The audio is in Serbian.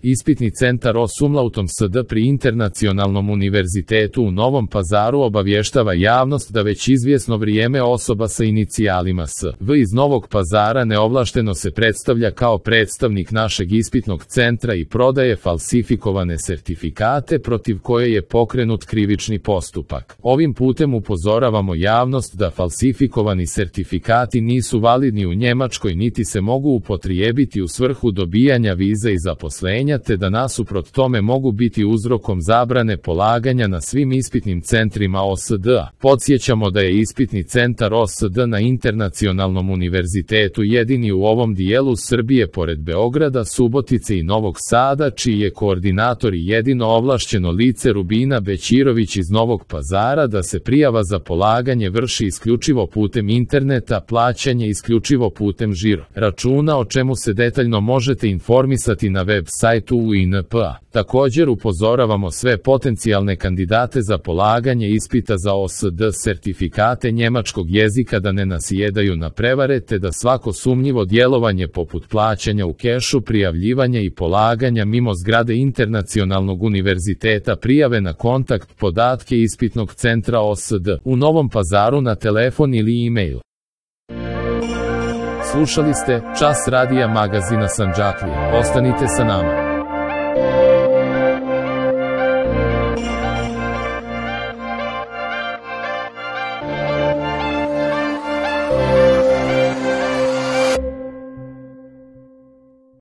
Ispitni centar OS Umlautom SD pri Internacionalnom univerzitetu u Novom Pazaru obavještava javnost da već izvjesno vrijeme osoba sa inicijalima SV iz Novog Pazara neovlašteno se predstavlja kao predstavnik našeg ispitnog centra i prodaje falsifikovane sertifikate protiv koje je pokrenut krivični postupak. Ovim putem upozoravamo javnost da falsifikovani sertifikati nisu validni u Njemačkoj niti se mogu upotrijebiti u svrhu dobijanja vize i zaposlenja, te da nasuprot tome mogu biti uzrokom zabrane polaganja na svim ispitnim centrima OSD-a. Podsjećamo da je ispitni centar OSD na Internacionalnom univerzitetu jedini u ovom dijelu Srbije pored Beograda, Subotice i Novog Sada, čiji je koordinator i jedino ovlašćeno lice Rubina Bećirović iz Novog Pazara, da se prijava za polaganje vrši isključivo putem interneta, plaćanje isključivo putem žiro računa, o čemu se detaljno možete informisati na web sajtu UINP-a. Također upozoravamo sve potencijalne kandidate za polaganje ispita za OSD sertifikate njemačkog jezika da ne nasjedaju na prevare, te da svako sumnjivo djelovanje poput plaćanja u kešu, prijavljivanja i polaganja mimo zgrade Internacionalnog univerziteta prijave na kontakt podatke ispitnog centra OSD u Novom Pazaru na telefon ili e-mail. Slušali ste Čas radija magazina Sandžaklija. Ostanite sa nama.